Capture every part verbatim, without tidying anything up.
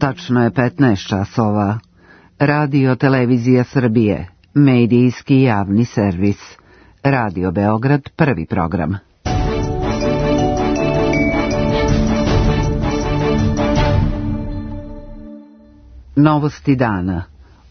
Tačno je petnaest časova. Radio Televizija Srbije, medijski javni servis. Radio Beograd, prvi program. Novosti dana.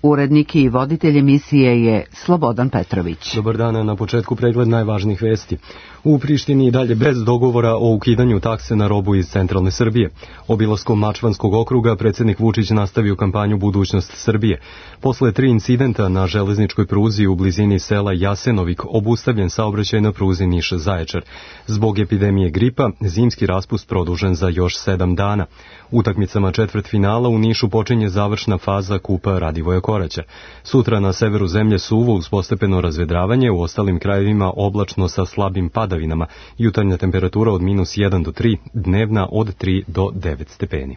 Urednik i voditelj emisije je Slobodan Petrović. Dobar dan, na početku pregled najvažnijih vesti. U Prištini i dalje bez dogovora o ukidanju takse na robu iz centralne Srbije. Obilaskom Mačvanskog okruga predsjednik Vučić nastavio kampanju Budućnost Srbije. Posle tri incidenta na železničkoj pruzi u blizini sela Jasenovik obustavljen saobraćaj na pruzi Niš-Zaječar. Zbog epidemije gripa zimski raspust produžen za još sedam dana. Utakmicama četvrtfinala u Nišu počinje završna faza Kupa Radivoja Koraća. Sutra na severu zemlje suvo uz postepeno razvedravanje, u ostalim krajevima oblačno sa slabim padavinama, jutarnja temperatura od minus jedan do tri, dnevna od tri do devet stepeni.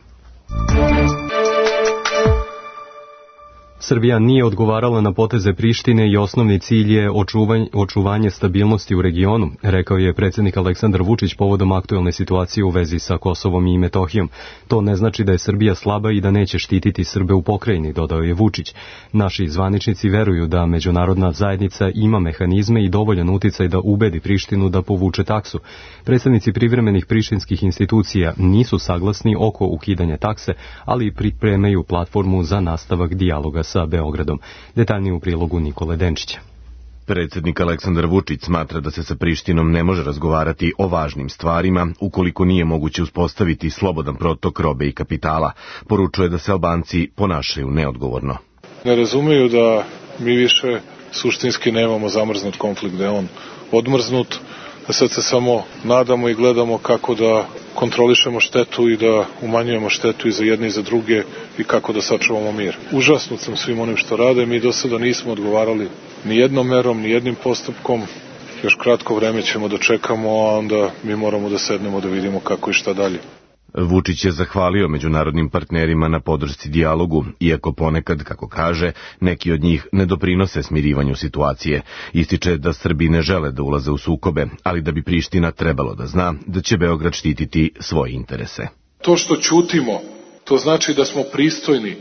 Srbija nije odgovarala na poteze Prištine i osnovni cilj je očuvanje, očuvanje stabilnosti u regionu, rekao je predsjednik Aleksandar Vučić povodom aktuelne situacije u vezi sa Kosovom i Metohijom. To ne znači da je Srbija slaba i da neće štititi Srbe u pokrajini, dodao je Vučić. Naši zvaničnici veruju da međunarodna zajednica ima mehanizme i dovoljan uticaj da ubedi Prištinu da povuče taksu. Predstavnici privremenih prištinskih institucija nisu saglasni oko ukidanja takse, ali pripremaju platformu za nastavak dijaloga sa Beogradom. Detaljnije u prilogu Nikole Denčića. Predsjednik Aleksandar Vučić smatra da se sa Prištinom ne može razgovarati o važnim stvarima ukoliko nije moguće uspostaviti slobodan protok robe i kapitala. Poručuje da se Albanci ponašaju neodgovorno. Ne razumeju da mi više suštinski nemamo zamrznut konflikt, da je on odmrznut, da sad se samo nadamo i gledamo kako da kontrolišemo štetu i da umanjujemo štetu i za jedne i za druge i kako da sačuvamo mir. Užasnut sam svim onim što rade, mi do sada nismo odgovarali ni jednom merom, ni jednim postupkom, još kratko vreme ćemo da čekamo, a onda mi moramo da sednemo da vidimo kako i šta dalje. Vučić je zahvalio međunarodnim partnerima na podršci dijalogu, iako ponekad, kako kaže, neki od njih ne doprinose smirivanju situacije. Ističe da Srbi ne žele da ulaze u sukobe, ali da bi Priština trebalo da zna da će Beograd štititi svoje interese. To što ćutimo, to znači da smo pristojni,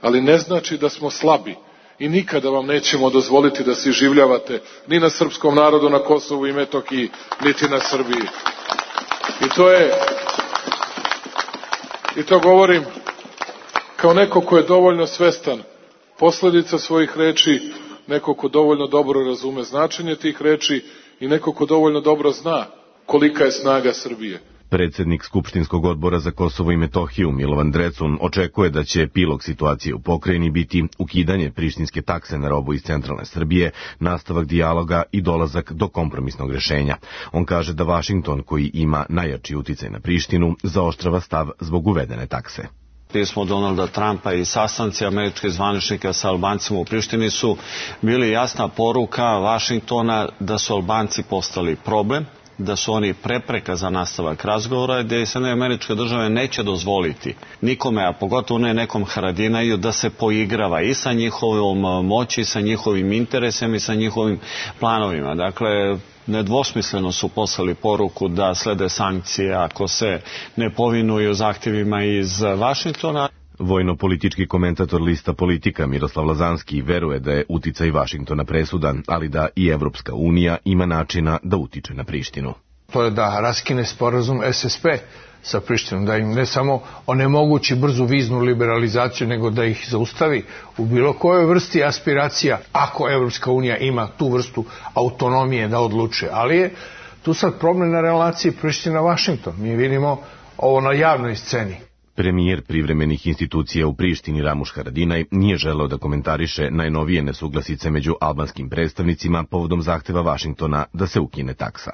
ali ne znači da smo slabi. I nikada vam nećemo dozvoliti da se iživljavate ni na srpskom narodu na Kosovu i Metohiji, niti na Srbiji. I to je... I to govorim kao neko ko je dovoljno svestan posledica svojih reči, neko ko dovoljno dobro razume značenje tih reči i neko ko dovoljno dobro zna kolika je snaga Srbije. Predsjednik Skupštinskog odbora za Kosovo i Metohiju Milovan Drecun očekuje da će epilog situacije u pokrajini biti ukidanje prištinske takse na robu iz centralne Srbije, nastavak dijaloga i dolazak do kompromisnog rješenja. On kaže da Vašington, koji ima najjači uticaj na Prištinu, zaoštrava stav zbog uvedene takse. Pismo Donalda Trumpa i sastanci američkih zvaničnika sa Albancima u Prištini su bili jasna poruka Vašingtona da su Albanci postali problem, da su oni prepreka za nastavak razgovora, gdje Sjedinjene Američke Države neće dozvoliti nikome, a pogotovo ne nekom Haradinaju, da se poigrava i sa njihovom moći, sa njihovim interesima i sa njihovim planovima. Dakle, nedvosmisleno su poslali poruku da slede sankcije ako se ne povinuju zahtjevima iz Vašingtona. Vojno-politički komentator lista Politika Miroslav Lazanski veruje da je uticaj Vašingtona presudan, ali da i Evropska unija ima načina da utiče na Prištinu. To je da raskine sporazum S S P sa Prištinom, da im ne samo onemogući brzu viznu liberalizaciju, nego da ih zaustavi u bilo kojoj vrsti aspiracija, ako Evropska unija ima tu vrstu autonomije da odlučuje. Ali je tu sad problem na relaciji Priština-Vašington. Mi vidimo ovo na javnoj sceni. Premijer privremenih institucija u Prištini Ramuš Haradinaj nije želeo da komentariše najnovije nesuglasice među albanskim predstavnicima povodom zahteva Vašingtona da se ukine taksa.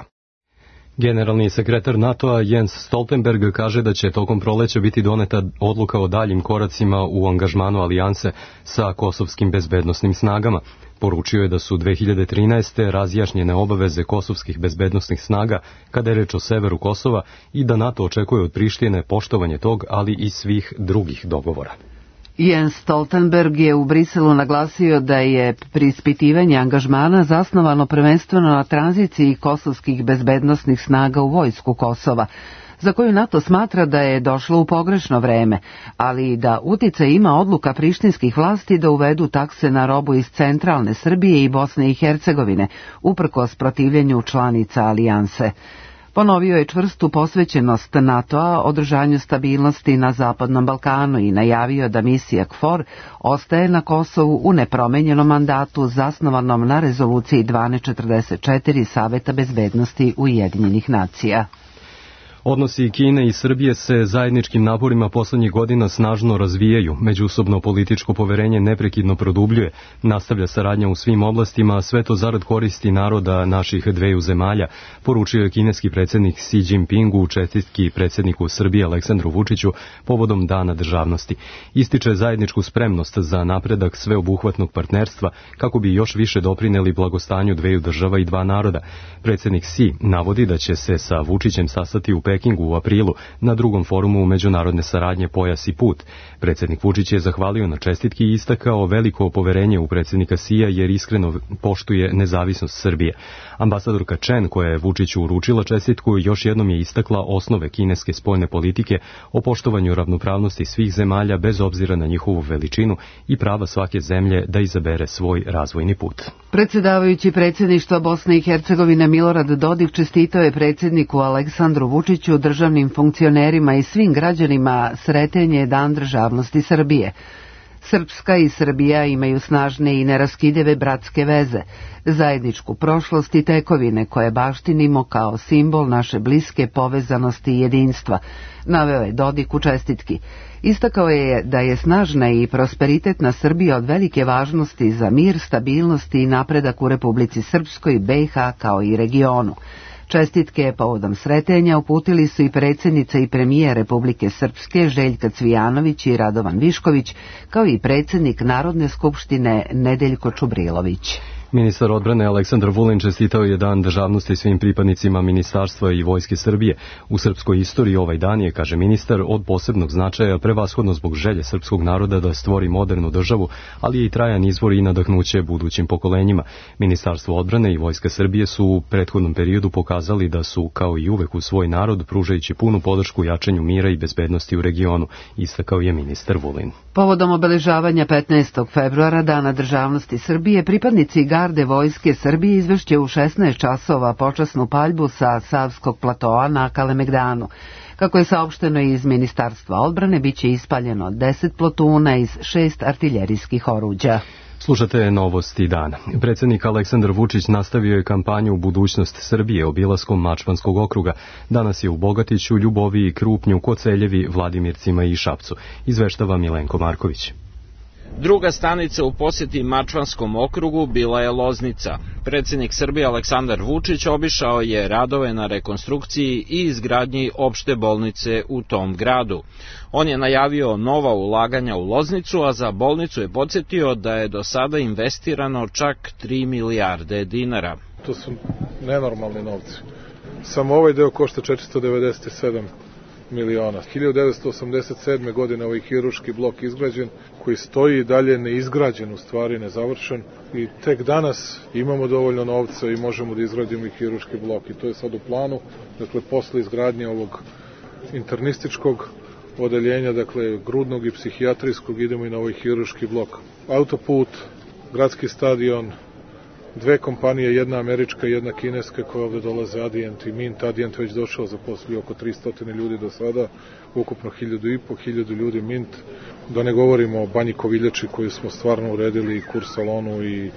Generalni sekretar NATO-a Jens Stoltenberg kaže da će tokom proleća biti doneta odluka o daljim koracima u angažmanu alijanse sa kosovskim bezbednosnim snagama. Poručio je da su dve hiljade trinaeste. razjašnjene obaveze kosovskih bezbednosnih snaga kada je reč o severu Kosova i da NATO očekuje od Prištine poštovanje tog, ali i svih drugih dogovora. Jens Stoltenberg je u Briselu naglasio da je preispitivanje angažmana zasnovano prvenstveno na tranziciji kosovskih bezbednosnih snaga u vojsku Kosova. za koju NATO smatra da je došla u pogrešno vreme, ali i da uticaj ima odluka prištinskih vlasti da uvedu takse na robu iz centralne Srbije i Bosne i Hercegovine, uprkos protivljenju članica alijanse. Ponovio je čvrstu posvećenost NATO-a održanju stabilnosti na Zapadnom Balkanu i najavio da misija KFOR ostaje na Kosovu u nepromenjenom mandatu zasnovanom na rezoluciji dvanaest četrdeset četiri Saveta bezbednosti Ujedinjenih nacija. Odnosi Kine i Srbije se zajedničkim naporima poslednjih godina snažno razvijaju, međusobno političko poverenje neprekidno produbljuje, nastavlja saradnja u svim oblastima, a sve to zarad koristi naroda naših dveju zemalja, poručio je kineski predsjednik Xi Jinpingu u čestitki predsjedniku Srbije Aleksandru Vučiću povodom Dana državnosti. Ističe zajedničku spremnost za napredak sveobuhvatnog partnerstva kako bi još više doprineli blagostanju dveju država i dva naroda. Predsjednik Xi navodi da će se sa Vučićem sastati u Pekingu u aprilu na drugom forumu međunarodne saradnje Pojas i put. Predsjednik Vučić je zahvalio na čestitki i istakao veliko poverenje u predsjednika Xija jer iskreno poštuje nezavisnost Srbije. Ambasadorka Chen, koja je Vučiću uručila čestitku, još jednom je istakla osnove kineske spoljne politike o poštovanju ravnopravnosti svih zemalja bez obzira na njihovu veličinu i prava svake zemlje da izabere svoj razvojni put. Predsjedavajući predsjedništva Bosne i Hercegovine Milorad Dodik čestitao je predsjedniku Aleksandru Vučiću, državnim funkcionerima i svim građanima sretan je Dan državnosti Srbije. Srpska i Srbija imaju snažne i neraskidive bratske veze, zajedničku prošlost i tekovine koje baštinimo kao simbol naše bliske povezanosti i jedinstva, naveo je Dodik u čestitki. Istakao je da je snažna i prosperitetna Srbija od velike važnosti za mir, stabilnost i napredak u Republici Srpskoj, B i H kao i regionu. Čestitke povodom sretenja uputili su i predsjednica i premijer Republike Srpske Željka Cvijanović i Radovan Višković, kao i predsjednik Narodne skupštine Nedeljko Čubrilović. Ministar odbrane Aleksandar Vulin čestitao je Dan državnosti svim pripadnicima Ministarstva i Vojske Srbije. U srpskoj istoriji ovaj dan je, kaže ministar, od posebnog značaja prevashodno zbog želje srpskog naroda da stvori modernu državu, ali je i trajan izvor i nadahnuće budućim pokolenjima. Ministarstvo odbrane i Vojska Srbije su u prethodnom periodu pokazali da su, kao i uvek, u svoj narod pružajući punu podršku jačanju mira i bezbednosti u regionu, istakao je ministar Vulin. Povodom obeležavanja petnaestog februara Dana državnosti Srbije, pripadnici garde Vojske Srbije izvešće u šesnaest časova počasnu paljbu sa Savskog platoa na Kalemegdanu. Kako je saopšteno iz Ministarstva odbrane, biće ispaljeno deset plotuna iz šest artiljerijskih oruđa. Slušate novosti dana. Predsjednik Aleksandar Vučić nastavio je kampanju Budućnost Srbije obilaskom Mačvanskog okruga. Danas je u Bogatiću, Ljuboviji, Krupnju, Koceljevi, Vladimircima i Šapcu. Izveštava Milenko Marković. Druga stanica u posjeti Mačvanskom okrugu bila je Loznica. Predsjednik Srbije Aleksandar Vučić obišao je radove na rekonstrukciji i izgradnji opšte bolnice u tom gradu. On je najavio nova ulaganja u Loznicu, a za bolnicu je podsjetio da je do sada investirano čak tri milijarde dinara. To su nenormalni novci. Samo ovaj deo košta četiristo devedeset sedam miliona. hiljadu devetsto osamdeset sedme. godine ovaj hiruški blok izgrađen, koji stoji i dalje neizgrađen, u stvari nezavršen, i tek danas imamo dovoljno novca i možemo da izgradimo i hiruški blok, i to je sad u planu. Dakle, posle izgradnje ovog internističkog odeljenja, dakle grudnog i psihijatrijskog, idemo i na ovaj hiruški blok. Autoput, gradski stadion, dve kompanije, jedna američka i jedna kineska koja ovde dolaze, Adient i Mint. Adient već došao, zaposlio oko tristo ljudi do sada, ukupno hiljadu i po, hiljadu ljudi Mint. Da ne govorimo o Banji Koviljači koju smo stvarno uredili, i Kursalonu i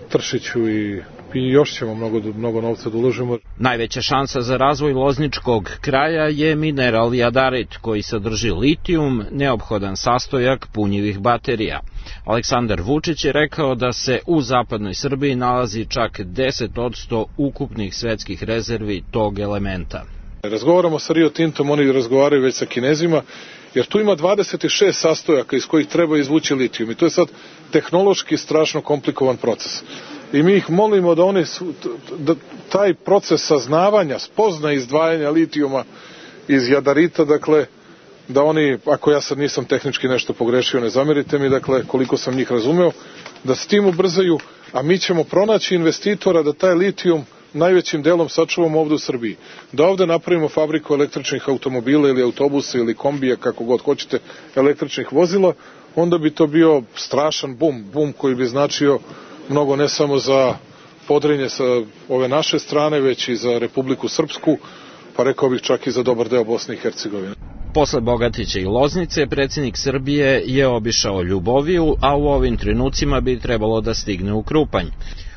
Tršiću, i i još ćemo mnogo, mnogo novca da uložimo. Najveća šansa za razvoj lozničkog kraja je mineral jadarit, koji sadrži litijum, neophodan sastojak punjivih baterija. Aleksandar Vučić je rekao da se u zapadnoj Srbiji nalazi čak deset posto ukupnih svetskih rezervi tog elementa. Razgovaramo sa Rio Tintom, oni razgovaraju već sa Kinezima, jer tu ima dvadeset šest sastojaka iz kojih treba izvući litijum, i to je sad tehnološki strašno komplikovan proces. I mi ih molimo da oni da taj proces saznavanja, spozna izdvajanja litijuma iz jadarita, dakle, da oni, ako ja sad nisam tehnički nešto pogrešio, ne zamerite mi, dakle, koliko sam njih razumeo, da s tim ubrzaju, a mi ćemo pronaći investitora da taj litijum najvećim delom sačuvamo ovde u Srbiji. Da ovde napravimo fabriku električnih automobila ili autobusa ili kombija, kako god hoćete, električnih vozila, onda bi to bio strašan bum, bum koji bi značio mnogo ne samo za Podrinje sa ove naše strane, već i za Republiku Srpsku, pa rekao bih čak i za dobar deo Bosne i Hercegovine. Posle Bogatića i Loznice, predsjednik Srbije je obišao Ljuboviju, a u ovim trenucima bi trebalo da stigne u Krupanj.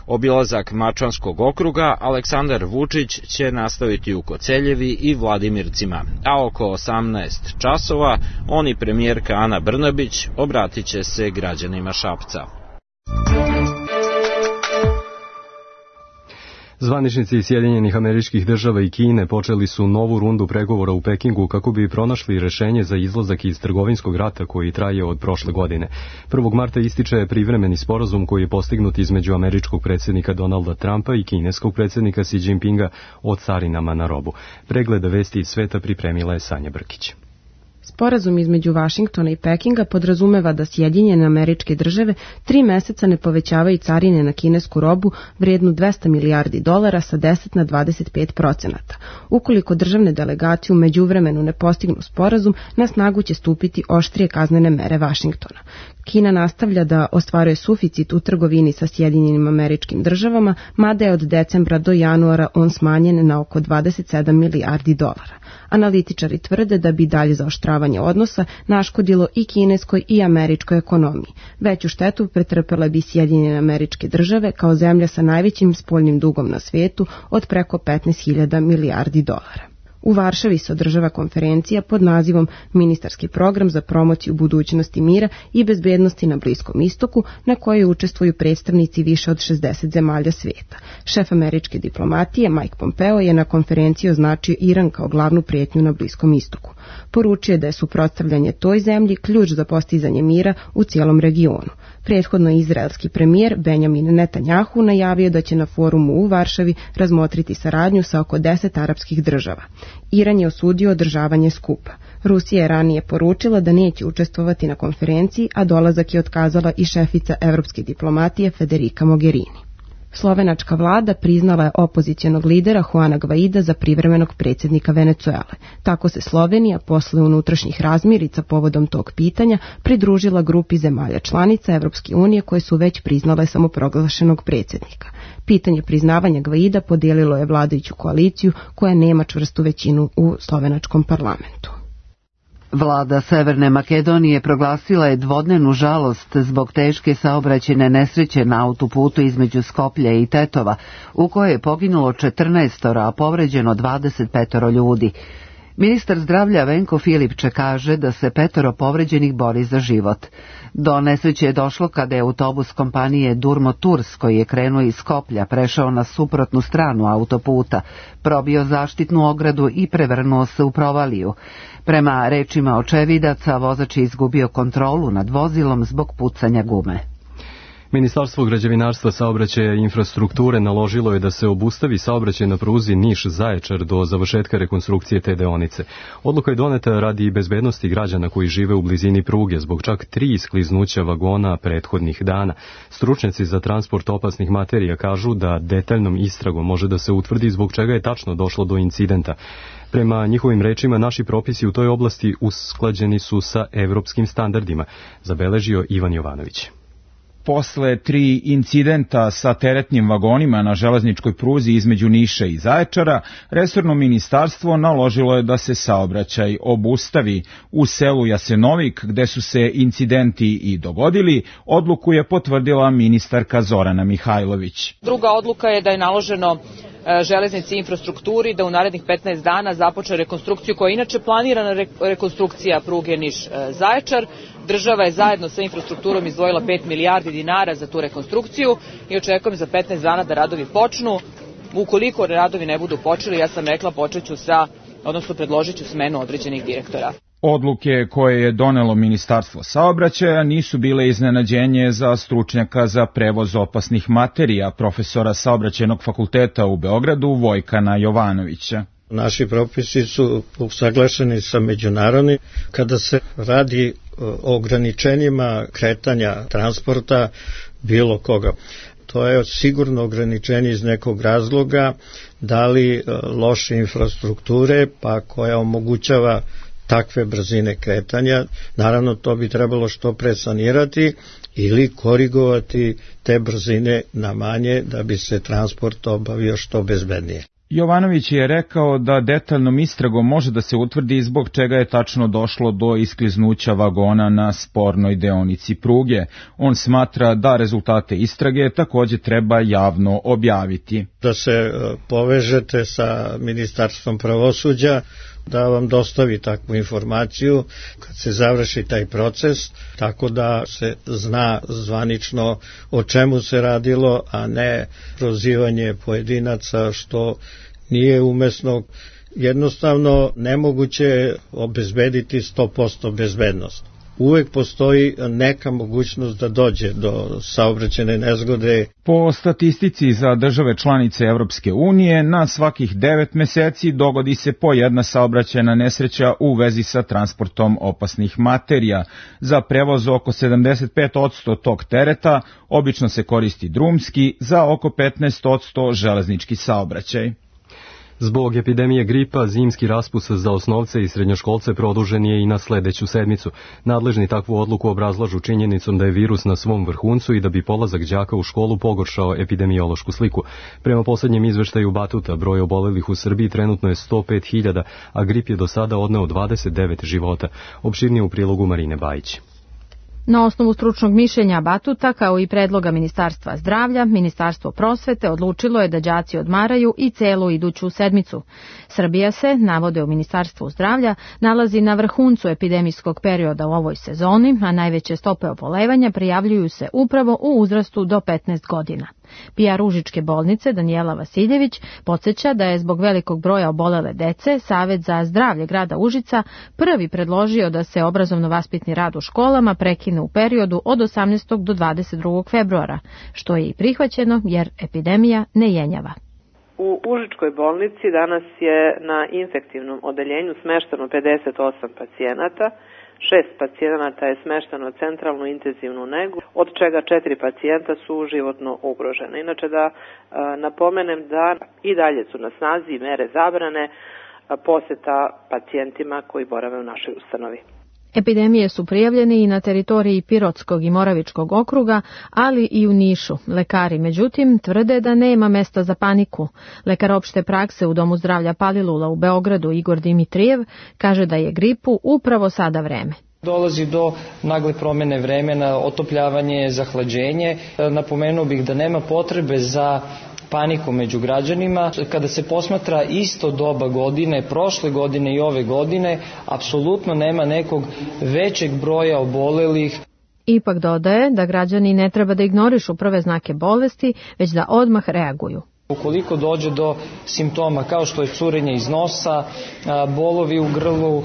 Obilazak Mačvanskog okruga Aleksandar Vučić će nastaviti u Koceljevi i Vladimircima, a oko osamnaest časova on i premijerka Ana Brnabić obratit će se građanima Šapca. Zvaničnici Sjedinjenih Američkih Država i Kine počeli su novu rundu pregovora u Pekingu kako bi pronašli rešenje za izlazak iz trgovinskog rata koji traje od prošle godine. prvog marta ističe privremeni sporazum koji je postignut između američkog predsjednika Donalda Trumpa i kineskog predsjednika Xi Jinpinga o carinama na robu. Pregled vesti iz sveta pripremila je Sanja Brkić. Sporazum između Vašingtona i Pekinga podrazumeva da Sjedinjene Američke Države tri meseca ne povećavaju carine na kinesku robu vrijednu dvesta milijardi dolara sa deset na dvadeset pet procenata. Ukoliko državne delegacije u međuvremenu ne postignu sporazum, na snagu će stupiti oštrije kaznene mere Vašingtona. Kina nastavlja da ostvaruje suficit u trgovini sa Sjedinjenim Američkim Državama, mada je od decembra do januara on smanjen na oko dvadeset sedam milijardi dolara. Analitičari tvrde da bi dalje zaoštravanje odnosa naškodilo i kineskoj i američkoj ekonomiji. Veću štetu pretrpele bi Sjedinjene Američke Države kao zemlja sa najvećim spoljnim dugom na svetu od preko petnaest hiljada milijardi dolara. U Varšavi se održava konferencija pod nazivom Ministarski program za promociju budućnosti mira i bezbednosti na Bliskom istoku, na kojoj učestvuju predstavnici više od šezdeset zemalja sveta. Šef američke diplomatije Mike Pompeo je na konferenciji označio Iran kao glavnu prijetnju na Bliskom istoku. Poručio je da je suprotstavljanje toj zemlji ključ za postizanje mira u cijelom regionu. Prethodno je izraelski premijer Benjamin Netanjahu najavio da će na forumu u Varšavi razmotriti saradnju sa oko deset arapskih država. Iran je osudio održavanje skupa. Rusija je ranije poručila da neće učestvovati na konferenciji, a dolazak je otkazala i šefica evropske diplomatije Federica Mogherini. Slovenačka vlada priznala je opozicionog lidera Juana Guaida za privremenog predsjednika Venecuele. Tako se Slovenija posle unutrašnjih razmirica povodom tog pitanja pridružila grupi zemalja članica Evropske unije koje su već priznale samoproglašenog predsjednika. Pitanje priznavanja Guaida podijelilo je vladajuću koaliciju koja nema čvrstu većinu u slovenačkom parlamentu. Vlada Severne Makedonije proglasila je dvodnevnu žalost zbog teške saobraćajne nesreće na autoputu između Skoplja i Tetova, u kojoj je poginulo četrnaestoro, a povređeno dvadeset petoro ljudi. Ministar zdravlja Venko Filipče kaže da se petoro povređenih bori za život. Do nesreće je došlo kada je autobus kompanije Durmo Tours, koji je krenuo iz Skoplja, prešao na suprotnu stranu autoputa, probio zaštitnu ogradu i prevrnuo se u provaliju. Prema rečima očevidaca, vozač je izgubio kontrolu nad vozilom zbog pucanja gume. Ministarstvo građevinarstva, saobraćaja i infrastrukture naložilo je da se obustavi saobraćaj na pruzi Niš-Zaječar do završetka rekonstrukcije te deonice. Odluka je doneta radi bezbednosti građana koji žive u blizini pruge zbog čak tri iskliznuća vagona prethodnih dana. Stručnjaci za transport opasnih materija kažu da detaljnom istragom može da se utvrdi zbog čega je tačno došlo do incidenta. Prema njihovim rečima, naši propisi u toj oblasti usklađeni su sa evropskim standardima, zabeležio Ivan Jovanović. Posle tri incidenta sa teretnim vagonima na železničkoj pruzi između Niša i Zaječara, resorno ministarstvo naložilo je da se saobraćaj obustavi. U selu Jasenovik, gde su se incidenti i dogodili, odluku je potvrdila ministarka Zorana Mihajlović. Druga odluka je da je naloženo železnici i infrastrukturi da u narednih petnaest dana započne rekonstrukciju koja je inače planirana rekonstrukcija pruge Niš-Zaječar. Država je zajedno sa infrastrukturom izdvojila pet milijardi dinara za tu rekonstrukciju i očekujem za petnaest dana da radovi počnu. Ukoliko radovi ne budu počeli, ja sam rekla počeću sa, odnosno predložit ću smenu određenih direktora. Odluke koje je donelo Ministarstvo saobraćaja nisu bile iznenađenje za stručnjaka za prevoz opasnih materija, profesora Saobraćajnog fakulteta u Beogradu Vojkana Jovanovića. Naši propisi su usaglašeni sa međunarodnim. Kada se radi o ograničenjima kretanja transporta bilo koga, to je sigurno ograničenje iz nekog razloga, da li loše infrastrukture, pa koja omogućava takve brzine kretanja. Naravno, to bi trebalo što pre sanirati ili korigovati te brzine na manje da bi se transport obavio što bezbednije. Jovanović je rekao da detaljnom istragom može da se utvrdi zbog čega je tačno došlo do iskliznuća vagona na spornoj deonici pruge. On smatra da rezultate istrage takođe treba javno objaviti. Da se povežete sa Ministarstvom pravosuđa, da vam dostavi takvu informaciju kad se završi taj proces, tako da se zna zvanično o čemu se radilo, a ne prozivanje pojedinaca što nije umesno. Jednostavno nemoguće obezbediti sto posto bezbednost. Uvek postoji neka mogućnost da dođe do saobraćajne nezgode. Po statistici za države članice Evropske unije, na svakih devet meseci dogodi se po jedna saobraćajna nesreća u vezi sa transportom opasnih materija. Za prevoz oko sedamdeset pet posto tog tereta obično se koristi drumski, za oko petnaest posto železnički saobraćaj. Zbog epidemije gripa, zimski raspust za osnovce i srednjoškolce produžen je i na sledeću sedmicu. Nadležni takvu odluku obrazlažu činjenicom da je virus na svom vrhuncu i da bi polazak đaka u školu pogoršao epidemiološku sliku. Prema poslednjem izveštaju Batuta, broj obolelih u Srbiji trenutno je sto pet hiljada, a grip je do sada odneo dvadeset devet života. Opširnije u prilogu Marine Bajić. Na osnovu stručnog mišljenja Batuta, kao i predloga Ministarstva zdravlja, Ministarstvo prosvete odlučilo je da đaci odmaraju i celu iduću sedmicu. Srbija se, navode u Ministarstvu zdravlja, nalazi na vrhuncu epidemijskog perioda u ovoj sezoni, a najveće stope obolevanja prijavljuju se upravo u uzrastu do petnaest godina. P R Užičke bolnice Danijela Vasiljević podsjeća da je zbog velikog broja obolele dece Savet za zdravlje grada Užica prvi predložio da se obrazovno-vaspitni rad u školama prekine u periodu od osamnaestog do dvadeset drugog februara, što je i prihvaćeno jer epidemija ne jenjava. U Užičkoj bolnici danas je na infektivnom odeljenju smešteno pedeset osam pacijenata, šest pacijenata je smešteno u centralnu intenzivnu negu, od čega četiri pacijenta su životno ugrožene. Inače da a, napomenem da i dalje su na snazi mere zabrane a, poseta pacijentima koji borave u našoj ustanovi. Epidemije su prijavljene i na teritoriji Pirotskog i Moravičkog okruga, ali i u Nišu. Lekari, međutim, tvrde da nema mesta za paniku. Lekar opšte prakse u Domu zdravlja Palilula u Beogradu Igor Dimitrijev kaže da je gripu upravo sada vreme. Dolazi do nagle promene vremena, otopljavanje, zahlađenje. Napomenuo bih da nema potrebe za paniku među građanima. Kada se posmatra isto doba godine, prošle godine i ove godine, apsolutno nema nekog većeg broja obolelih. Ipak dodaje da građani ne treba da ignorišu prve znake bolesti, već da odmah reaguju. Ukoliko dođe do simptoma kao što je curenje iz nosa, bolovi u grlu,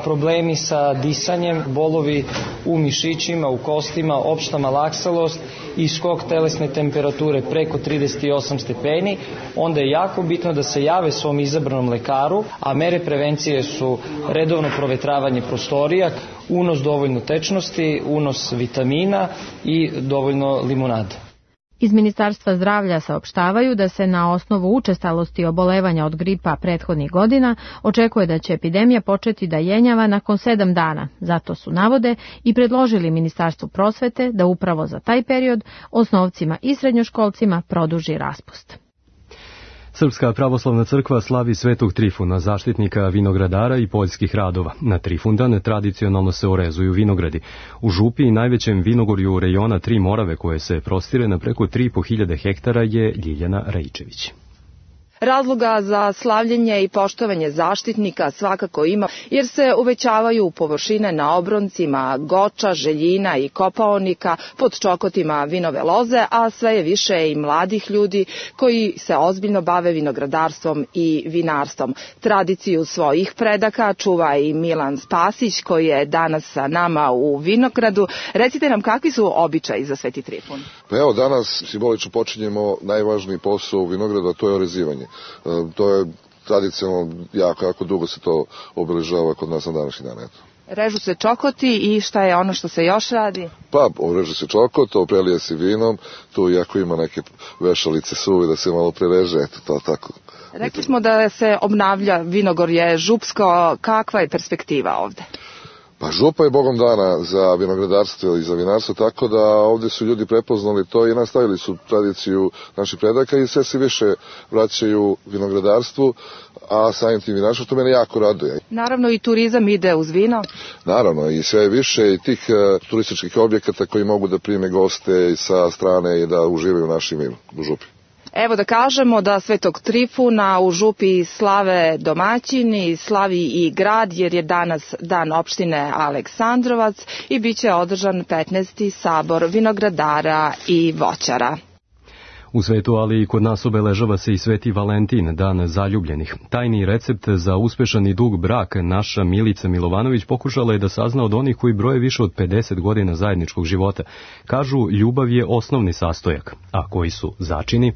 problemi sa disanjem, bolovi u mišićima, u kostima, opšta malaksalost i skok telesne temperature preko trideset osam stepeni, onda je jako bitno da se jave svom izabranom lekaru, a mere prevencije su redovno provetravanje prostorija, unos dovoljno tečnosti, unos vitamina i dovoljno limunade. Iz Ministarstva zdravlja saopštavaju da se na osnovu učestalosti obolevanja od gripa prethodnih godina očekuje da će epidemija početi da jenjava nakon sedam dana. Zato su, navode, i predložili Ministarstvu prosvete da upravo za taj period osnovcima i srednjoškolcima produži raspust. Srpska pravoslavna crkva slavi Svetog Trifuna, zaštitnika vinogradara i poljskih radova. Na Trifundan tradicionalno se orezuju vinogradi. U Župi, najvećem vinogorju rejona Tri Morave, koje se prostire na preko tri i po hiljade hektara, je Ljiljana Rajičević. Razloga za slavljenje i poštovanje zaštitnika svakako ima, jer se uvećavaju površine na obroncima Goča, Željina i Kopaonika, pod čokotima vinove loze, a sve je više i mladih ljudi koji se ozbiljno bave vinogradarstvom i vinarstvom. Tradiciju svojih predaka čuva i Milan Spasić, koji je danas sa nama u vinogradu. Recite nam, kakvi su običaji za Sveti Trifun? Pa evo, danas simbolično počinjemo najvažniji posao u vinogradu, a to je orezivanje. To je tradicionalno jako, jako dugo se to obeležava kod nas na današnji dan. Eto. Režu se čokoti i šta je ono što se još radi? Pa, reže se čokot, oprelije se vinom, tu iako ima neke vešalice suve da se malo prereže, eto to tako. Rekli smo da se obnavlja vinogorje župsko, kakva je perspektiva ovde? Pa župa je bogom dana za vinogradarstvo i za vinarstvo, tako da ovde su ljudi prepoznali to i nastavili su tradiciju naših predaka i sve se više vraćaju vinogradarstvu, a samim tim vinarstvu, što mene jako raduje. Naravno i turizam ide uz vino. Naravno i sve više i tih uh, turističkih objekata koji mogu da prime goste sa strane i da uživaju u našim vinu u župi. Evo da kažemo da Svetog Trifuna u župi slave domaćini, slavi i grad jer je danas dan opštine Aleksandrovac i bit će održan petnaesti sabor vinogradara i voćara. U svetu, ali i kod nas obeležava se i Sveti Valentin, dan zaljubljenih. Tajni recept za uspešan i dug brak naša Milica Milovanović pokušala je da sazna od onih koji broje više od pedeset godina zajedničkog života. Kažu, ljubav je osnovni sastojak, a koji su začini?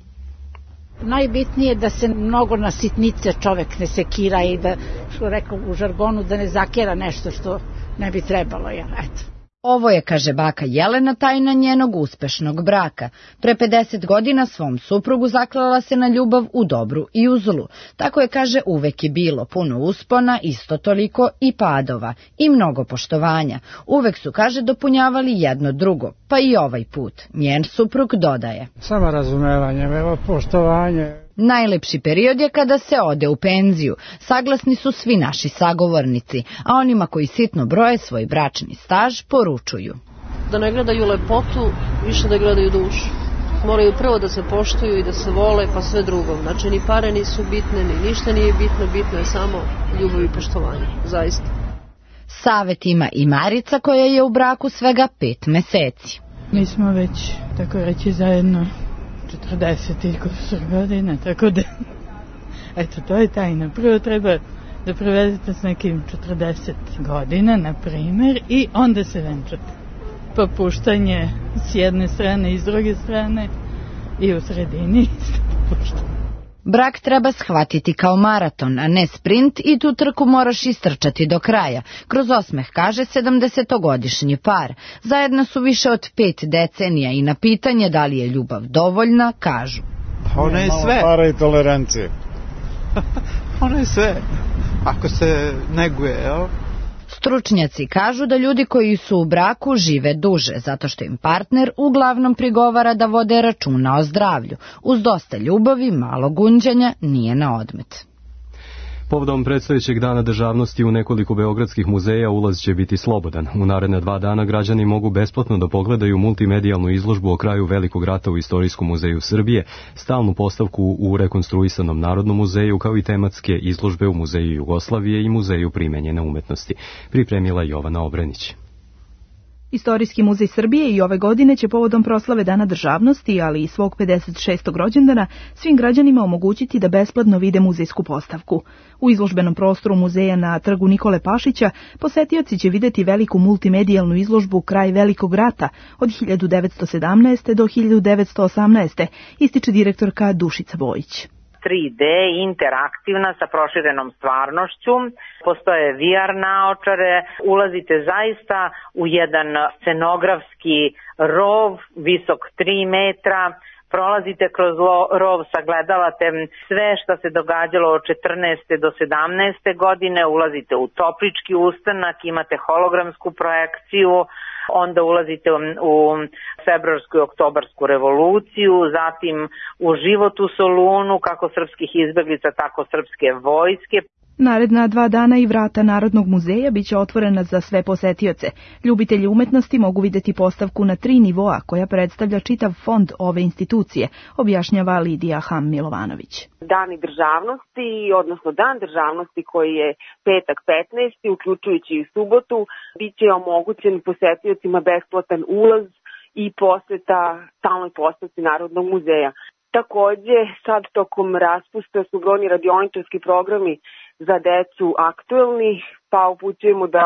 Najbitnije je da se mnogo na sitnice čovek ne sekira i da, što rekao u žargonu, da ne zakera nešto što ne bi trebalo. Ja, eto. Ovo je, kaže baka Jelena, tajna njenog uspešnog braka. Pre pedeset godina svom suprugu zaklala se na ljubav u dobru i u zlu. Tako je, kaže, uvek je bilo puno uspona, isto toliko i padova i mnogo poštovanja. Uvek su, kaže, dopunjavali jedno drugo, pa i ovaj put. Njen suprug dodaje. Samo razumevanje, evo poštovanje. Najlepši period je kada se ode u penziju. Saglasni su svi naši sagovornici, a onima koji sitno broje svoj bračni staž poručuju. Da ne gledaju lepotu, više da gledaju dušu. Moraju prvo da se poštuju i da se vole, pa sve drugo. Znači, ni pare nisu bitne, ni ništa nije bitno, bitno je samo ljubav i poštovanje, zaista. Savet ima i Marica koja je u braku svega pet meseci. Mi smo već, tako reći, zajedno četrdeset godina, tako da, eto, to je tajna. Prvo treba da provedete s nekim četrdeset godina, na primer, i onda se venčate. Popuštanje s jedne strane i s druge strane i u sredini isto popuštanje. Brak treba shvatiti kao maraton, a ne sprint i tu trku moraš istrčati do kraja. Kroz osmeh, kaže sedamdesetogodišnji par. Zajedno su više od pet decenija i na pitanje da li je ljubav dovoljna, kažu. Ona je sve. Para i tolerancije. Ona je sve. Ako se neguje, jel? Stručnjaci kažu da ljudi koji su u braku žive duže, zato što im partner uglavnom prigovara da vode računa o zdravlju. Uz dosta ljubavi, malo gunđanja, nije na odmet. Povodom predstojećeg dana državnosti u nekoliko beogradskih muzeja ulaz će biti slobodan. U naredne dva dana građani mogu besplatno da pogledaju multimedijalnu izložbu o kraju Velikog rata u Istorijskom muzeju Srbije, stalnu postavku u rekonstruisanom Narodnom muzeju, kao i tematske izložbe u Muzeju Jugoslavije i Muzeju primenjene umetnosti. Pripremila Jovana Obrenić. Istorijski muzej Srbije i ove godine će povodom proslave Dana državnosti, ali i svog pedeset šestog rođendana, svim građanima omogućiti da besplatno vide muzejsku postavku. U izložbenom prostoru muzeja na trgu Nikole Pašića posetioci će videti veliku multimedijalnu izložbu Kraj Velikog rata od hiljadu devetsto sedamnaeste. do hiljadu devetsto osamnaeste. ističe direktorka Dušica Bojić. tri D, interaktivna sa proširenom stvarnošću, postoje V R naočare, ulazite zaista u jedan scenografski rov visok tri metra, prolazite kroz rov, sagledavate sve što se događalo od četrnaeste do sedamnaeste godine, ulazite u toplički ustanak, imate hologramsku projekciju, onda ulazite u februarsku i oktobarsku revoluciju, zatim u život u Solunu, kako srpskih izbeglica, tako srpske vojske. Naredna dva dana i vrata Narodnog muzeja biće otvorena za sve posetioce. Ljubitelji umetnosti mogu videti postavku na tri nivoa koja predstavlja čitav fond ove institucije, objašnjava Lidija Ham Milovanović. Dani državnosti, odnosno Dan državnosti koji je petak petnaesti, uključujući i subotu, bit će omogućen posetiocima besplatan ulaz i poseta stalnoj postavci Narodnog muzeja. Takođe, sad tokom raspusta su brojni radioničarski programi za decu aktuelni, pa upućujemo da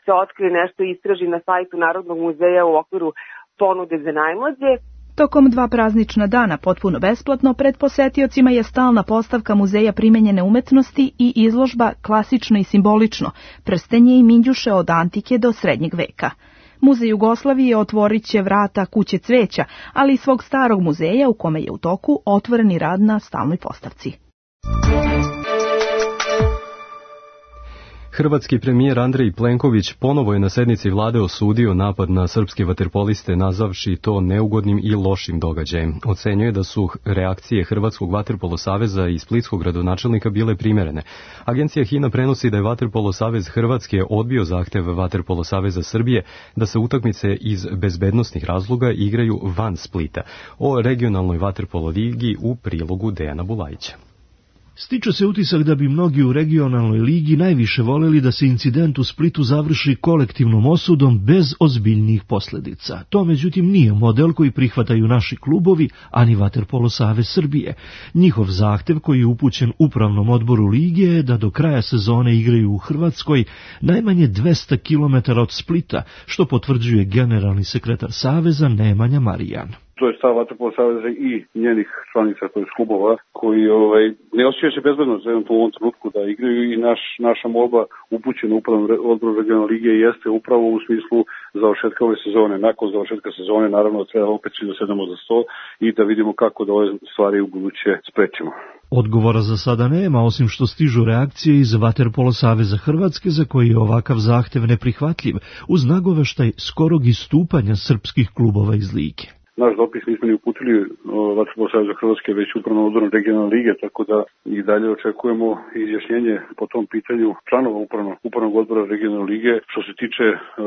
se otkrije nešto i istraži na sajtu Narodnog muzeja u okviru ponude za najmlađe. Tokom dva praznična dana potpuno besplatno pred posetiocima je stalna postavka Muzeja primenjene umetnosti i izložba Klasično i simbolično, prstenje i minđuše od antike do srednjeg veka. Muzej Jugoslavije otvorit će vrata Kuće cveća, ali i svog starog muzeja u kome je u toku otvoreni rad na stalnoj postavci. Hrvatski premijer Andrej Plenković ponovo je na sednici vlade osudio napad na srpske vaterpoliste, nazavši to neugodnim i lošim događajem. Ocenjuje da su reakcije Hrvatskog vaterpolo saveza i splitskog gradonačelnika bile primerene. Agencija HINA prenosi da je Vaterpolo savez Hrvatske odbio zahtev Vaterpolo saveza Srbije da se utakmice iz bezbednosnih razloga igraju van Splita. O regionalnoj vaterpolo ligi u prilogu Dejana Bulajića. Stiče se utisak da bi mnogi u regionalnoj ligi najviše voljeli da se incident u Splitu završi kolektivnom osudom bez ozbiljnijih posljedica. To međutim nije model koji prihvataju naši klubovi, ani Vaterpolo savez Srbije. Njihov zahtev koji je upućen upravnom odboru lige je da do kraja sezone igraju u Hrvatskoj najmanje dvesta kilometara od Splita, što potvrđuje generalni sekretar saveza Nemanja Marijan. To je stav Vaterpolo saveza i njenih članica, to je klubova, koji ovaj, ne osjećaju se bezbedno za u ovom trenutku da igraju i naš, naša molba upućena upravnom odboru regionalne lige jeste upravo u smislu završetka ove sezone. Nakon završetka sezone naravno treba opet svi da sedemo za sto i da vidimo kako da ove stvari u buduće sprečimo. Odgovora za sada nema, osim što stižu reakcije iz Vaterpolo saveza Hrvatske za koji je ovakav zahtev neprihvatljiv, uz nagoveštaj skorog istupanja srpskih klubova iz lige. Naš dopis nismo ni uputili Vaterpolo saveza Hrvatske, već upravno odboru regionalne lige, tako da i dalje očekujemo izjašnjenje po tom pitanju članova upravnog, upravnog odbora regionalne lige. Što se tiče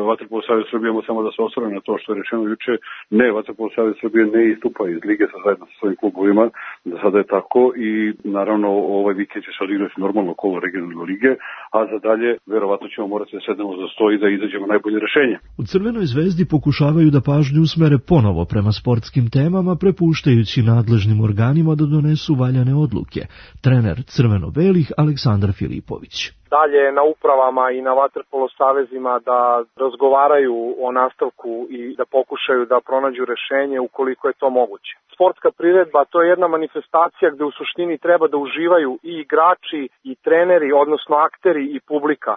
Vaterpolo saveza Srbije, samo da se osvrne na to što je rečeno juče. Ne, Vaterpolo saveza Srbije ne istupa iz lige sa zajedno sa svojim klubovima, da sada je tako i naravno ovaj vikend će se odigrati normalno kolo regionalne lige, a za dalje verovatno ćemo morati da sednemo za sto i da izađemo najbolje rešenje. U Crvenoj zvezdi pokušavaju da pažnju usmere ponovo prema sportskim temama, prepuštajući nadležnim organima da donesu valjane odluke. Trener crveno-belih Aleksandar Filipović. Dalje na upravama i na vaterpolo savezima da razgovaraju o nastavku i da pokušaju da pronađu rešenje ukoliko je to moguće. Sportska priredba to je jedna manifestacija gde u suštini treba da uživaju i igrači i treneri, odnosno akteri i publika.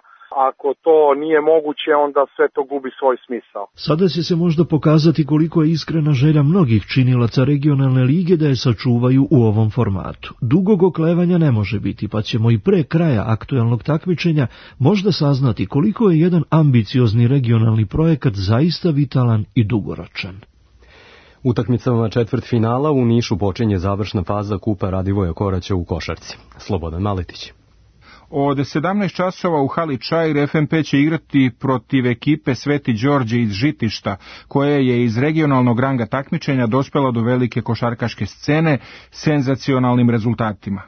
Ako to nije moguće, onda sve to gubi svoj smisao. Sada će se možda pokazati koliko je iskrena želja mnogih činilaca regionalne lige da je sačuvaju u ovom formatu. Dugog oklevanja ne može biti, pa ćemo i pre kraja aktuelnog takmičenja možda saznati koliko je jedan ambiciozni regionalni projekat zaista vitalan i dugoročan. Utakmicama četvrtfinala u Nišu počinje završna faza Kupa Radivoja Koraća u košarci. Slobodan Maletić. Od sedamnaest časova u hali Čair F M P će igrati protiv ekipe Sveti Đorđe iz Žitišta, koja je iz regionalnog ranga takmičenja dospela do velike košarkaške scene senzacionalnim rezultatima.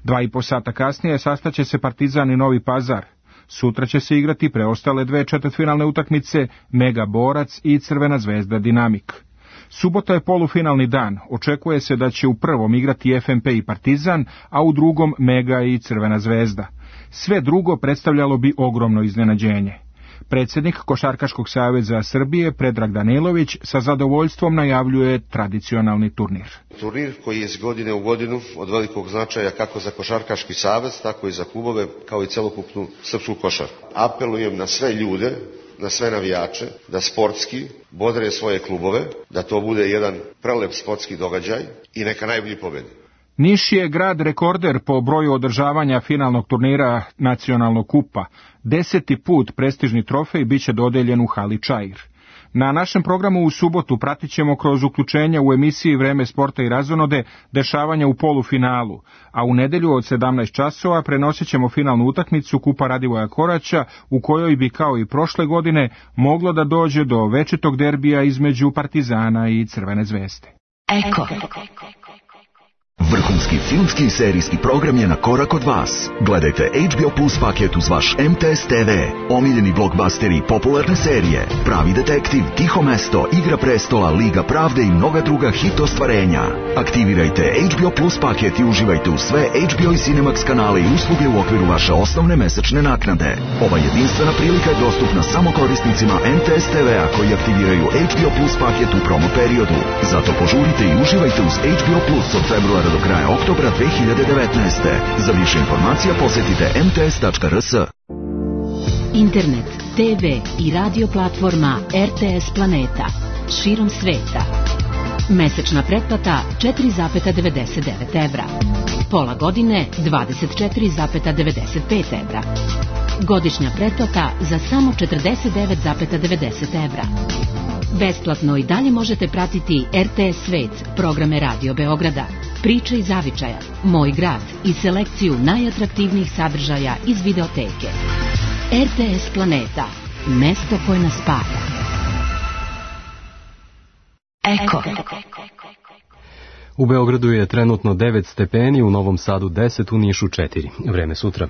Dva i po sata kasnije sastaće se Partizan i Novi Pazar. Sutra će se igrati preostale dve četvrtfinalne utakmice Mega Borac i Crvena zvezda Dinamik. Subota je polufinalni dan, očekuje se da će u prvom igrati F M P i Partizan, a u drugom Mega i Crvena zvezda. Sve drugo predstavljalo bi ogromno iznenađenje. Predsjednik Košarkaškog saveza Srbije Predrag Danilović sa zadovoljstvom najavljuje tradicionalni turnir. Turnir koji je iz godine u godinu od velikog značaja kako za Košarkaški savez, tako i za klubove, kao i celokupnu srpsku košarku. Apelujem na sve ljude, na sve navijače, da sportski bodre svoje klubove, da to bude jedan prelep sportski događaj i neka najbolji pobedi. Niš je grad rekorder po broju održavanja finalnog turnira nacionalnog kupa. Deseti put prestižni trofej biće dodeljen u hali Čair. Na našem programu u subotu pratit ćemo kroz uključenja u emisiji Vreme sporta i razonode dešavanja u polufinalu, a u nedelju od sedamnaest časova prenosit ćemo finalnu utakmicu Kupa Radivoja Koraća, u kojoj bi kao i prošle godine moglo da dođe do večitog derbija između Partizana i Crvene zvezde. Eko. Vrhunski filmski i serijski program je na korak od vas. Gledajte H B O Plus paket uz vaš M T S T V, omiljeni blockbusteri i popularne serije, Pravi detektiv, Tiho mesto, Igra prestola, Liga pravde i mnoga druga hit ostvarenja. Aktivirajte H B O Plus paket i uživajte u sve H B O i Cinemax kanale i usluge u okviru vaše osnovne mesečne naknade. Ova jedinstvena prilika je dostupna samo korisnicima M T S T V-a koji aktiviraju H B O Plus paket u promo periodu. Zato požurite i uživajte uz H B O Plus od februara do kraja oktobra dve hiljade devetnaeste. Za više informacija posjetite m t s tačka r s. Internet, te ve i radio platforma R T S Planeta. Širom sveta. Mesečna pretplata četiri zarez devedeset devet evra. Pola godine dvadeset četiri zarez devedeset pet evra. Godišnja pretplata za samo četrdeset devet zarez devedeset evra. Besplatno i dalje možete pratiti R T S Svet, programe Radio Beograda, Priče iz zavičaja, Moj grad i selekciju najatraktivnijih sadržaja iz videoteke. R T S Planeta, mesto koje nas spaja. Eko. U Beogradu je trenutno devet stepeni, u Novom Sadu deset, u Nišu četiri. Vreme sutra.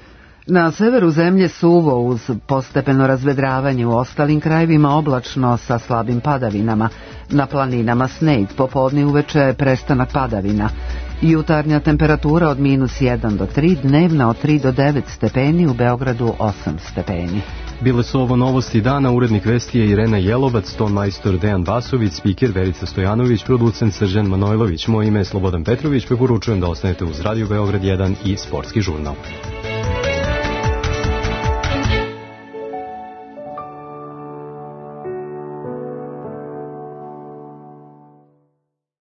Na severu zemlje suvo uz postepeno razvedravanje, u ostalim krajevima oblačno sa slabim padavinama. Na planinama sneg, popodne uveče prestanak padavina. Jutarnja temperatura od minus jedan do tri, dnevna od tri do devet stepeni, u Beogradu osam stepeni. Bile su ovo novosti dana, urednik vesti je Irena Jelovac, ton majstor Dejan Vasović, spiker Verica Stojanović, producent Srđan Manojlović. Moje ime je Slobodan Petrović, preporučujem da ostanete uz Radio Beograd jedan i Sportski žurnal.